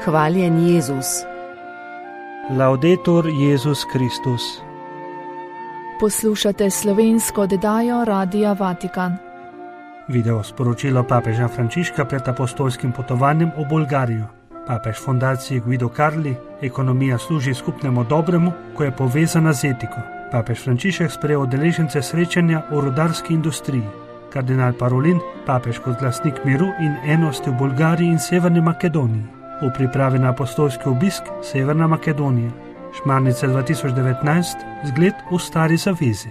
Hvaljen Jezus. Laudetur Jezus Kristus. Poslušate slovensko oddajo Radia Vatikan. Video sporočilo papeža Frančiška pred apostolskim potovanjem v Bolgarijo. Papež fundaciji Guido Carli: ekonomija služi skupnemu dobremu, ko je povezana z etiko. Papež Frančišek sprejel udeležence srečanja o rudarski industriji. Kardinal Parolin, papež kot glasnik miru in enosti v Bolgariji in Severni Makedoniji. V pripravi na apostolski obisk Severna Makedonija. Šmarnice 2019, zgled v stari zavezi.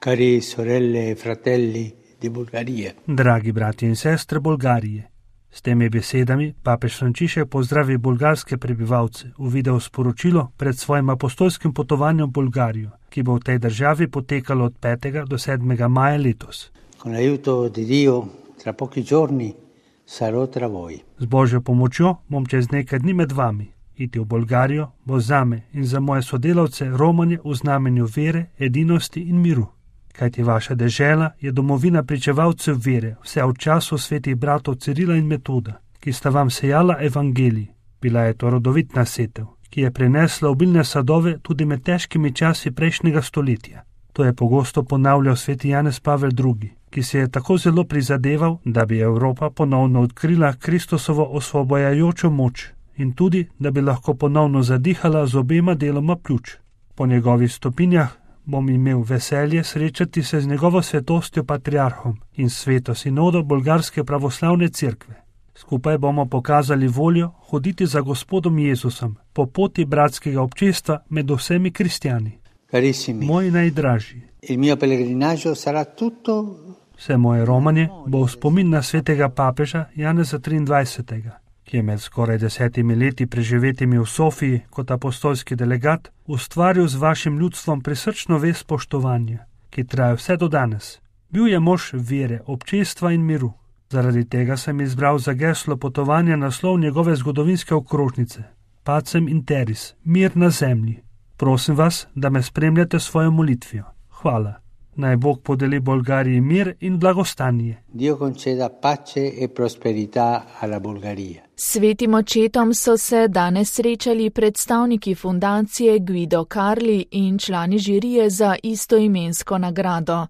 Cari sorelle e fratelli di Bulgarije. Dragi bratje in sestre Bolgarije. S temi besedami papež Frančišek pozdravi bolgarske prebivalce v video sporočilo pred svojim apostolskim potovanjem v Bolgarijo, ki bo v tej državi potekalo od 5. do 7. maja letos. Con l'aiuto di Dio, tra pochi giorni sarò tra voi. Z Božjo pomočjo bom čez nekaj dni med vami. Iti v Bolgarijo bo zame in za moje sodelavce romanje v znamenju vere, edinosti in miru. Kajti vaša dežela je domovina pričevalcev vere, vse v času svetih bratov Cirila in Metoda, ki sta vam sejala evangelij. Bila je to rodovitna setev, ki je prinesla obilne sadove tudi med težkimi časi prejšnjega stoletja. To je pogosto ponavljal sveti Janez Pavel II., ki se je tako zelo prizadeval, da bi Evropa ponovno odkrila Kristusovo osvobojajočo moč in tudi, da bi lahko ponovno zadihala z obema deloma pljuč. Po njegovih stopinjah bom imel veselje srečati se z njegovo svetostjo patriarhom in sveto sinodo Bolgarske pravoslavne cerkve. Skupaj bomo pokazali voljo hoditi za Gospodom Jezusom po poti bratskega občestva med vsemi kristjani. Carissimi, Moji najdražji, il mio pellegrinaggio sarà tutto. Vse moje romanje bo v spomin na svetega papeža Janeza 23., ki je med skoraj 10 leti preživetimi v Sofiji kot apostolski delegat ustvaril z vašim ljudstvom prisrčno vez spoštovanja, ki traja vse do danes. Bil je mož vere, občestva in miru. Zaradi tega sem izbral za geslo potovanja naslov njegove zgodovinske okrožnice Pacem in Teris, mir na zemlji. Prosim vas, da me spremljate svojo molitvijo. Hvala. Naj Bog podeli Bolgariji mir in blagostanje. Dio conceda pace e prosperità alla Bulgaria. S svetim očetom so se danes srečali predstavniki fundacije Guido Carli in člani žirije za istoimensko nagrado.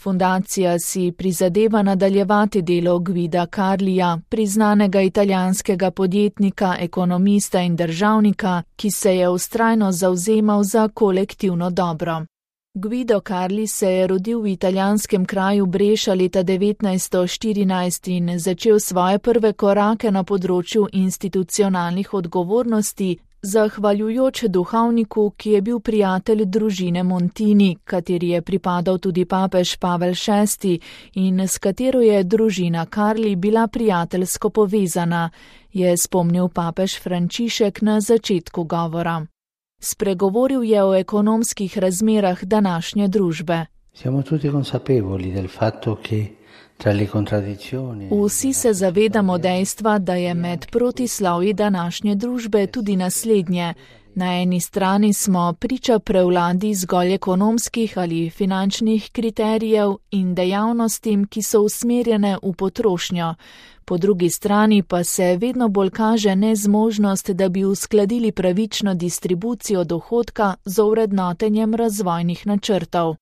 Fundacija si prizadeva nadaljevati delo Guida Carlija, priznanega italijanskega podjetnika, ekonomista in državnika, ki se je vztrajno zavzemal za kolektivno dobro. Guido Carli se je rodil v italijanskem kraju Breša leta 1914 in začel svoje prve korake na področju institucionalnih odgovornosti, zahvaljujoč duhovniku, ki je bil prijatelj družine Montini, kateri je pripadal tudi papež Pavel VI in s katero je družina Carli bila prijateljsko povezana, je spomnil papež Frančišek na začetku govora. Spregovoril je o ekonomskih razmerah današnje družbe. Siamo tutti consapevoli del fatto che tra le contraddizioni. Vsi se zavedamo dejstva, da je med protislovji današnje družbe tudi naslednje. Na eni strani smo priča prevladi zgolj ekonomskih ali finančnih kriterijev in dejavnostim, ki so usmerjene v potrošnjo. Po drugi strani pa se vedno bolj kaže nezmožnost, da bi uskladili pravično distribucijo dohodka z ovrednotenjem razvojnih načrtov.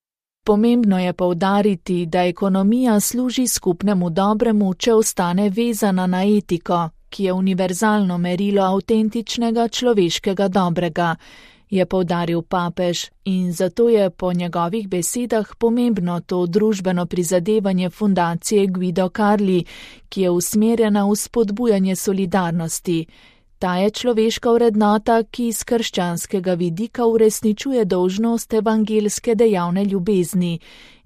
Pomembno je poudariti, da ekonomija služi skupnemu dobremu, če ostane vezana na etiko, ki je univerzalno merilo avtentičnega človeškega dobrega, je poudaril papež, in zato je po njegovih besedah pomembno to družbeno prizadevanje fundacije Guido Carli, ki je usmerjena v spodbujanje solidarnosti. Ta je človeška vrednota, ki iz krščanskega vidika uresničuje dolžnost evangelske dejavne ljubezni,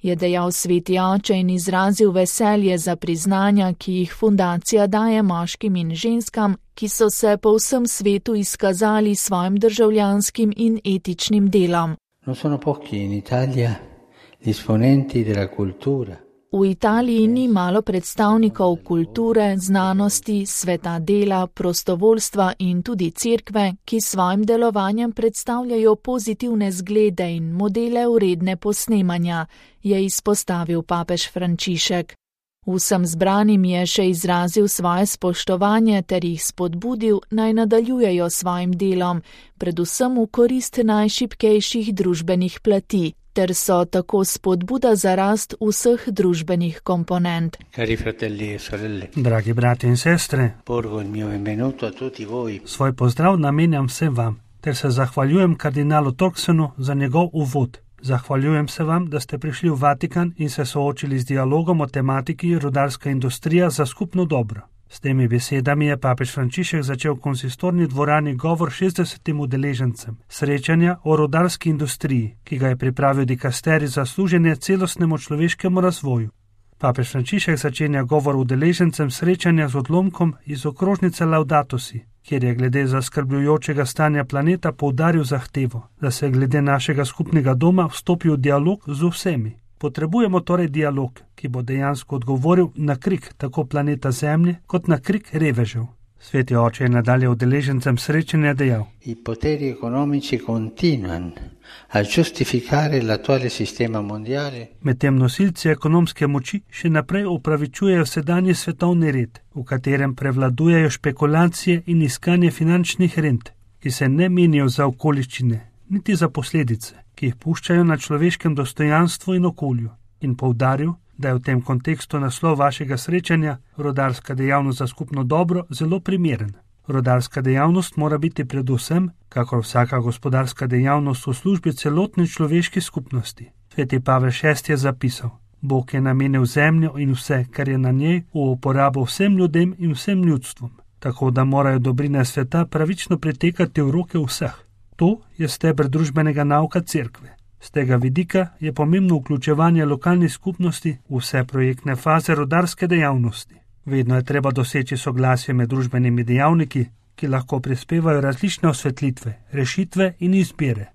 je dejal sveti oče in izrazil veselje za priznanja, ki jih fundacija daje moškim in ženskam, ki so se po vsem svetu izkazali svojim državljanskim in etičnim delom. Non sono pochi in Italia gli esponenti della cultura. V Italiji ni malo predstavnikov kulture, znanosti, sveta dela, prostovoljstva in tudi cerkve, ki svojim delovanjem predstavljajo pozitivne zglede in modele vredne posnemanja, je izpostavil papež Frančišek. Vsem zbranim je še izrazil svoje spoštovanje ter jih spodbudil, naj nadaljujejo svojim delom, predvsem v korist najšibkejših družbenih plati, ter so tako spodbuda za rast vseh družbenih komponent. Cari fratelli e sorelle, Dragi brati in sestre, porgo il mio benvenuto a tutti voi. svoj pozdrav namenjam vsem vam, ter se zahvaljujem kardinalu Torksenu za njegov uvod. Zahvaljujem se vam, da ste prišli v Vatikan in se soočili z dialogom o tematiki rudarska industrija za skupno dobro. S temi besedami je papež Frančišek začel v konsistorni dvorani govor 60 udeležencem srečanja o rudarski industriji, ki ga je pripravil dikasterij za služenje celostnemu človeškemu razvoju. Papež Frančišek začenja govor udeležencem srečanja z odlomkom iz okrožnice Laudato Si, kjer je glede zaskrbljujočega stanja planeta poudaril zahtevo, da se glede našega skupnega doma vstopi v dialog z vsemi. Potrebujemo torej dialog, ki bo dejansko odgovoril na krik tako planeta Zemlje kot na krik revežev. Sveti oče je nadalje udeležencem srečanja dejal: I poteri economici continuano a giustificare l'attuale sistema mondiale. Medtem nosilci ekonomske moči še naprej upravičujejo sedanji svetovni red, v katerem prevladujejo špekulacije in iskanje finančnih rent, ki se ne menijo za okoliščine, niti za posledice, ki jih puščajo na človeškem dostojanstvu in okolju, in poudaril, da je v tem kontekstu naslov vašega srečanja rudarska dejavnost za skupno dobro zelo primeren. Rudarska dejavnost mora biti predvsem, kakor vsaka gospodarska dejavnost, v službi celotne človeške skupnosti. Sveti Pavel VI je zapisal: Bog je namenil zemljo in vse, kar je na njej, v uporabo vsem ljudem in vsem ljudstvom, tako da morajo dobrine sveta pravično pritekati v roke vseh. To je steber družbenega nauka cerkve. Z tega vidika je pomembno vključevanje lokalnih skupnosti v vse projektne faze rudarske dejavnosti. Vedno je treba doseči soglasje med družbenimi dejavniki, ki lahko prispevajo različne osvetlitve, rešitve in izbire.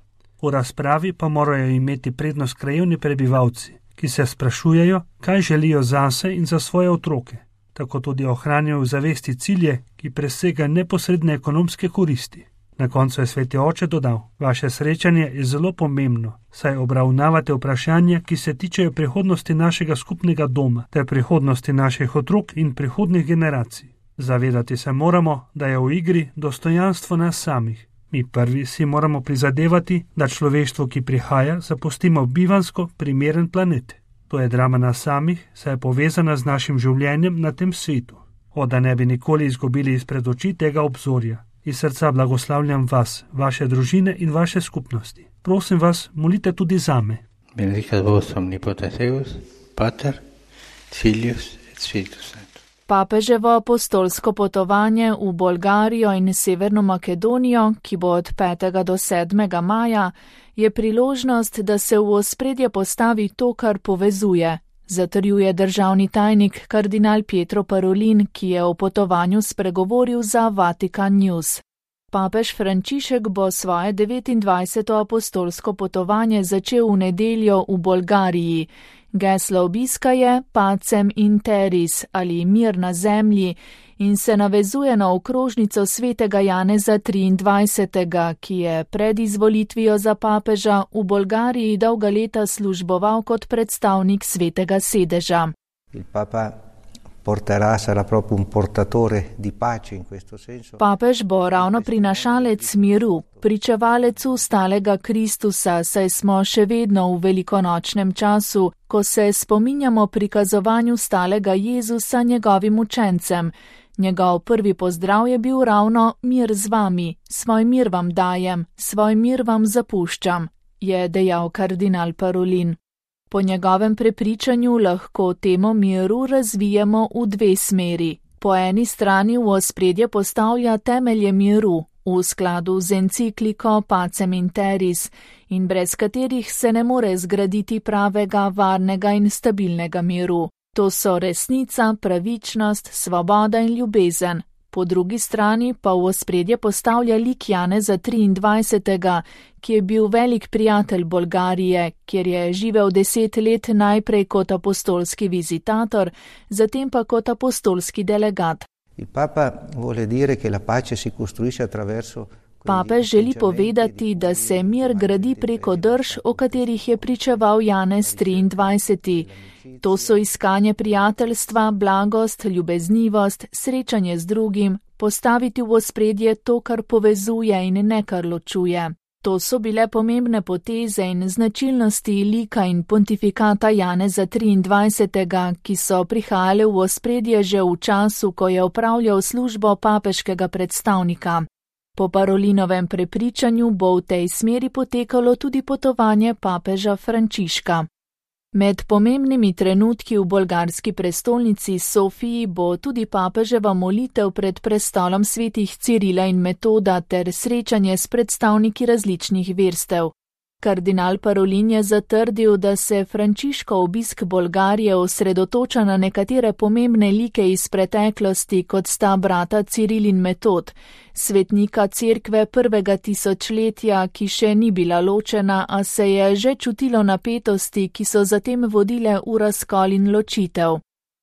V razpravi pa morajo imeti prednost krajevni prebivalci, ki se sprašujejo, kaj želijo zase in za svoje otroke. Tako tudi ohranjajo v zavesti cilje, ki presega neposredne ekonomske koristi. Na koncu je sveti oče dodal: Vaše srečanje je zelo pomembno, saj obravnavate vprašanja, ki se tičejo prihodnosti našega skupnega doma, ter prihodnosti naših otrok in prihodnjih generacij. Zavedati se moramo, da je v igri dostojanstvo nas samih. Mi prvi si moramo prizadevati, da človeštvo, ki prihaja, zapustimo bivansko primeren planet. To je drama nas samih, saj je povezana z našim življenjem na tem svetu. Da ne bi nikoli izgubili izpred oči tega obzorja. Iz srca blagoslavljam vas, vaše družine in vaše skupnosti. Prosim vas, molite tudi zame. Benedicat vos omnipotens Deus, Pater, Filius et Spiritus Sanctus. Papeževo apostolsko potovanje v Bolgarijo in Severno Makedonijo, ki bo od 5. do 7. maja, je priložnost, da se v ospredje postavi to, kar povezuje, zatrjuje državni tajnik kardinal Pietro Parolin, ki je o potovanju spregovoril za Vatikan News. Papež Frančišek bo svoje 29. apostolsko potovanje začel v nedeljo v Bolgariji. Geslo obiska je Pacem in Teris ali mir na zemlji in se navezuje na okrožnico svetega Janeza 23., ki je pred izvolitvijo za papeža v Bolgariji dolga leta služboval kot predstavnik svetega sedeža. Papež bo ravno prinašalec miru, pričevalec ustalega Kristusa, saj smo še vedno v velikonočnem času, ko se spominjamo prikazovanju stalega Jezusa njegovim učencem. Njegov prvi pozdrav je bil ravno mir z vami, svoj mir vam dajem, svoj mir vam zapuščam, je dejal kardinal Parolin. Po njegovem prepričanju lahko temo miru razvijemo v dve smeri. Po eni strani v ospredje postavlja temelje miru, v skladu z encikliko Pacem in Teris, in brez katerih se ne more zgraditi pravega, varnega in stabilnega miru. To so resnica, pravičnost, svoboda in ljubezen. Po drugi strani pa v ospredje postavlja lik Janeza 23., ki je bil velik prijatelj Bolgarije, kjer je živel 10 let najprej kot apostolski vizitator, zatem pa kot apostolski delegat. Papež želi povedati, da se mir gradi preko drž, o katerih je pričeval Janez 23. To so iskanje prijateljstva, blagost, ljubeznivost, srečanje z drugim, postaviti v ospredje to, kar povezuje in ne kar ločuje. To so bile pomembne poteze in značilnosti lika in pontifikata Janeza 23., ki so prihajale v ospredje že v času, ko je opravljal službo papeškega predstavnika. Po Parolinovem prepričanju bo v tej smeri potekalo tudi potovanje papeža Frančiška. Med pomembnimi trenutki v bolgarski prestolnici Sofiji bo tudi papeževa molitev pred prestolom svetih Cirila in Metoda ter srečanje s predstavniki različnih verstev. Kardinal Parolin je zatrdil, da se Frančiškov obisk Bolgarije osredotoča na nekatere pomembne like iz preteklosti, kot sta brata Ciril in Metod, svetnika cerkve prvega tisočletja, ki še ni bila ločena, a se je že čutilo napetosti, ki so zatem vodile v razkol in ločitev.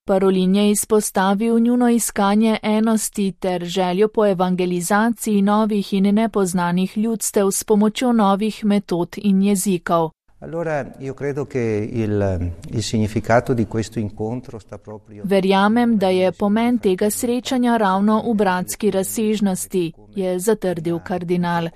Parolin je izpostavil njuno iskanje enosti ter željo po evangelizaciji novih in nepoznanih ljudstev s pomočjo novih metod in jezikov. Verjamem, da je pomen tega srečanja ravno v bratski razsežnosti, je zatrdil kardinal.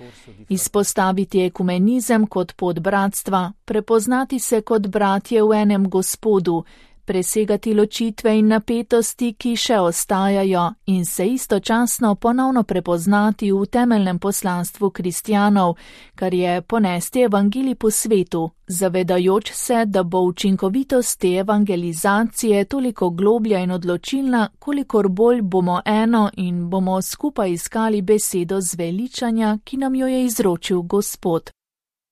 Izpostaviti ekumenizem kot pot bratstva, prepoznati se kot bratje v enem Gospodu, presegati ločitve in napetosti, ki še ostajajo, in se istočasno ponovno prepoznati v temeljnem poslanstvu kristjanov, kar je ponesti evangelij po svetu, zavedajoč se, da bo učinkovitost te evangelizacije toliko globlja in odločilna, kolikor bolj bomo eno in bomo skupaj iskali besedo zveličanja, ki nam jo je izročil Gospod.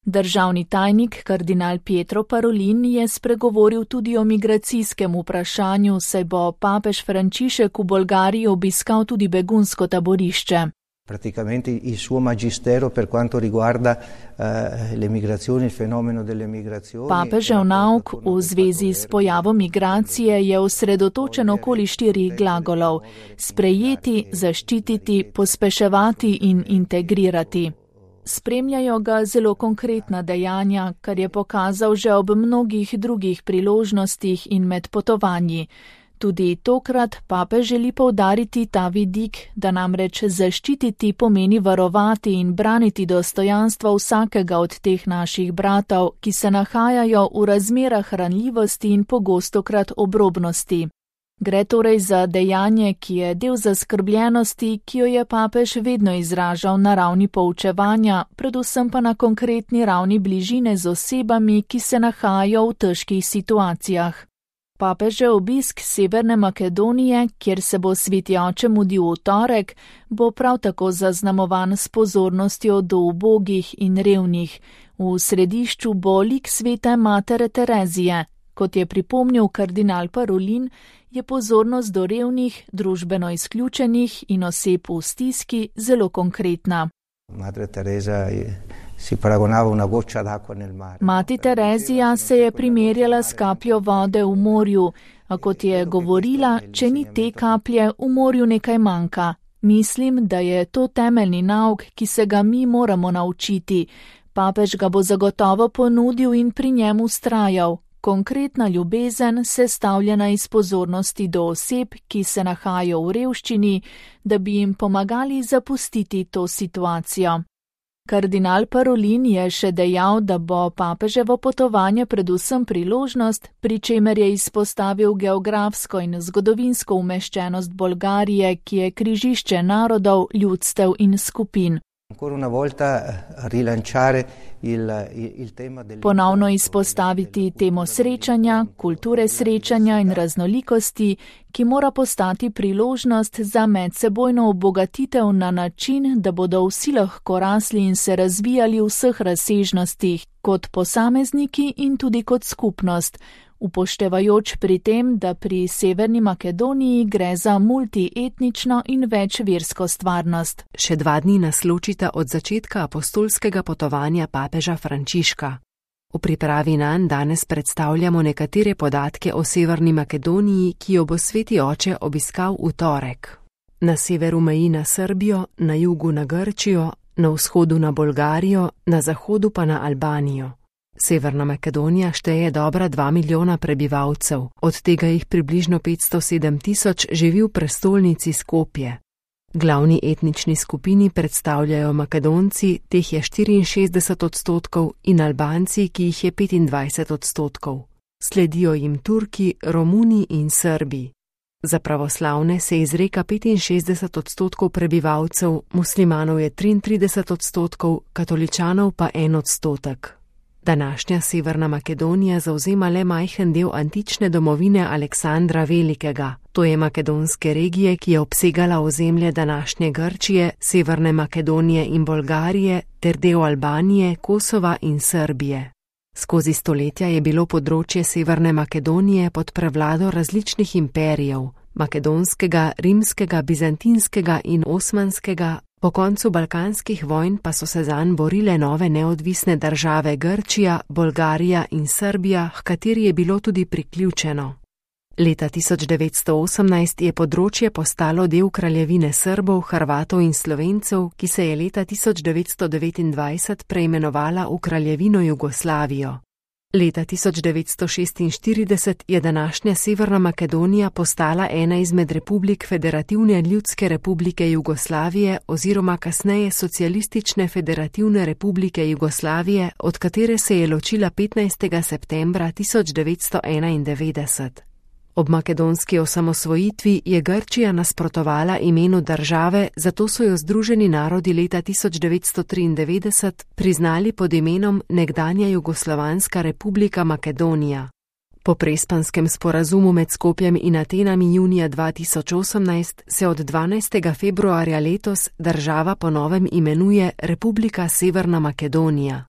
Državni tajnik kardinal Pietro Parolin je spregovoril tudi o migracijskem vprašanju, saj bo papež Frančišek v Bolgariji obiskal tudi begunsko taborišče. Praticamente il suo magistero per quanto riguarda le migrazioni, il fenomeno delle migrazioni. Papežev nauk v zvezi s pojavom migracije je osredotočen okoli 4 glagolov: sprejeti, zaščititi, pospeševati in integrirati. Spremljajo ga zelo konkretna dejanja, kar je pokazal že ob mnogih drugih priložnostih in med potovanji. Tudi tokrat papež želi poudariti ta vidik, da namreč zaščititi pomeni varovati in braniti dostojanstvo vsakega od teh naših bratov, ki se nahajajo v razmerah ranljivosti in pogostokrat obrobnosti. Gre torej za dejanje, ki je del zaskrbljenosti, ki jo je papež vedno izražal na ravni poučevanja, predvsem pa na konkretni ravni bližine z osebami, ki se nahajajo v težkih situacijah. Papežev obisk Severne Makedonije, kjer se bo sveti oče mudil v torek, bo prav tako zaznamovan s pozornostjo do ubogih in revnih. V središču bo lik svete matere Terezije. Kot je pripomnil kardinal Parolin, je pozornost do revnih, družbeno izključenih in oseb v stiski zelo konkretna. Mati Terezija se je primerjala s kapljo vode v morju, a kot je govorila, če ni te kaplje, v morju nekaj manjka. Mislim, da je to temeljni nauk, ki se ga mi moramo naučiti. Papež ga bo zagotovo ponudil in pri njem vztrajal. Konkretna ljubezen, sestavljena iz pozornosti do oseb, ki se nahajajo v revščini, da bi jim pomagali zapustiti to situacijo. Kardinal Parolin je še dejal, da bo papeževo potovanje predvsem priložnost, pri čemer je izpostavil geografsko in zgodovinsko umeščenost Bolgarije, ki je križišče narodov, ljudstev in skupin. Ponovno izpostaviti temo srečanja, kulture srečanja in raznolikosti, ki mora postati priložnost za medsebojno obogatitev na način, da bodo vsi lahko rasli in se razvijali v vseh razsežnostih, kot posamezniki in tudi kot skupnost, upoštevajoč pri tem, da pri Severni Makedoniji gre za multietnično in večversko stvarnost. Še 2 dni nas ločita od začetka apostolskega potovanja papeža Frančiška. V pripravi nanj danes predstavljamo nekatere podatke o Severni Makedoniji, ki jo bo sveti oče obiskal v torek. Na severu meji na Srbijo, na jugu na Grčijo, na vzhodu na Bolgarijo, na zahodu pa na Albanijo. Severna Makedonija šteje dobra 2 milijona prebivalcev, od tega jih približno 507 tisoč živi v prestolnici Skopje. Glavni etnični skupini predstavljajo Makedonci, teh je 64%, in Albanci, ki jih je 25%. Sledijo jim Turki, Romuni in Srbi. Za pravoslavne se izreka 65% prebivalcev, muslimanov je 33%, katoličanov pa 1%. Današnja Severna Makedonija zavzema le majhen del antične domovine Aleksandra Velikega, to je makedonske regije, ki je obsegala ozemlje današnje Grčije, Severne Makedonije in Bolgarije ter del Albanije, Kosova in Srbije. Skozi stoletja je bilo področje Severne Makedonije pod prevlado različnih imperijev, makedonskega, rimskega, bizantinskega in osmanskega, po koncu balkanskih vojn pa so se zanj borile nove neodvisne države Grčija, Bolgarija in Srbija, h kateri je bilo tudi priključeno. Leta 1918 je področje postalo del kraljevine Srbov, Hrvatov in Slovencev, ki se je leta 1929 preimenovala v kraljevino Jugoslavijo. Leta 1946 je današnja Severna Makedonija postala ena izmed republik Federativne ljudske republike Jugoslavije oziroma kasneje Socialistične federativne republike Jugoslavije, od katere se je ločila 15. septembra 1991. Ob makedonski osamosvojitvi je Grčija nasprotovala imenu države, zato so jo Združeni narodi leta 1993 priznali pod imenom nekdanja Jugoslovanska republika Makedonija. Po Prespanskem sporazumu med Skopjem in Atenami junija 2018 se od 12. februarja letos država po novem imenuje Republika Severna Makedonija.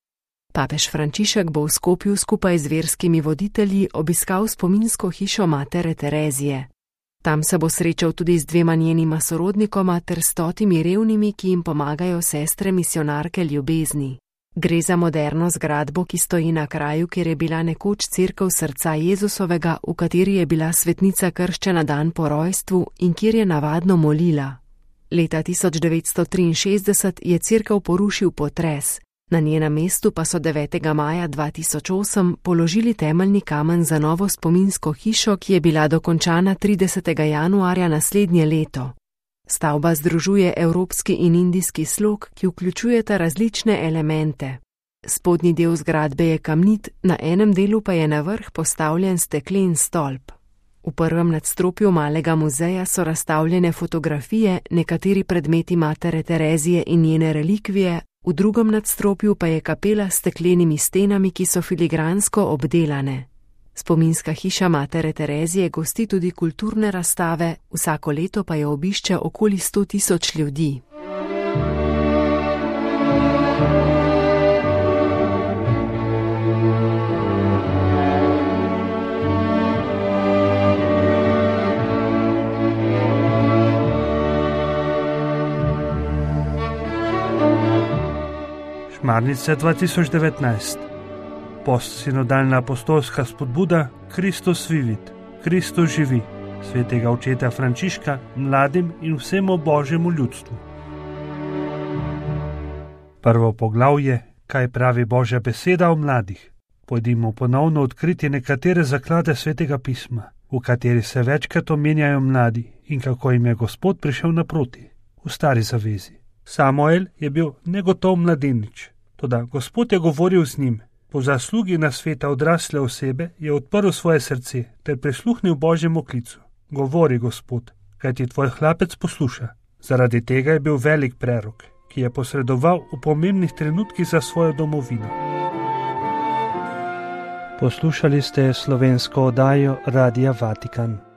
Papež Frančišek bo v Skopju skupaj z verskimi voditelji obiskal spominsko hišo matere Terezije. Tam se bo srečal tudi z 2 njenima sorodnikoma ter 100 revnimi, ki jim pomagajo sestre misionarke ljubezni. Gre za moderno zgradbo, ki stoji na kraju, kjer je bila nekoč cerkev srca Jezusovega, v kateri je bila svetnica krščena dan po rojstvu in kjer je navadno molila. Leta 1963 je cerkev porušil potres. Na njenem mestu pa so 9. maja 2008 položili temeljni kamen za novo spominsko hišo, ki je bila dokončana 30. januarja naslednje leto. Stavba združuje evropski in indijski slog, ki vključujeta različne elemente. Spodnji del zgradbe je kamnit, na enem delu pa je na vrh postavljen steklen stolp. V prvem nadstropju malega muzeja so razstavljene fotografije, nekateri predmeti matere Terezije in njene relikvije, v drugem nadstropju pa je kapela s steklenimi stenami, ki so filigransko obdelane. Spominska hiša matere Terezije gosti tudi kulturne razstave, vsako leto pa jo obišče okoli 100.000 ljudi. Šmarnice 2019. Postsinodalna apostolska spodbuda Kristus vivit, Kristus živi, svetega očeta Frančiška mladim in vsemu božjemu ljudstvu. Prvo poglavje, kaj pravi Božja beseda o mladih. Pojdimo ponovno odkriti nekatere zaklade svetega pisma, v kateri se večkrat omenjajo mladi in kako jim je Gospod prišel naproti. V Stari zavezi Samuel je bil negotov mladenič, toda Gospod je govoril z njim. Po zaslugi nasveta odrasle osebe je odprl svoje srce ter prisluhnil Božjemu klicu. Govori, Gospod, kajti tvoj hlapec posluša. Zaradi tega je bil velik prerok, ki je posredoval v pomembnih trenutkih za svojo domovino. Poslušali ste slovensko oddajo Radia Vatikan.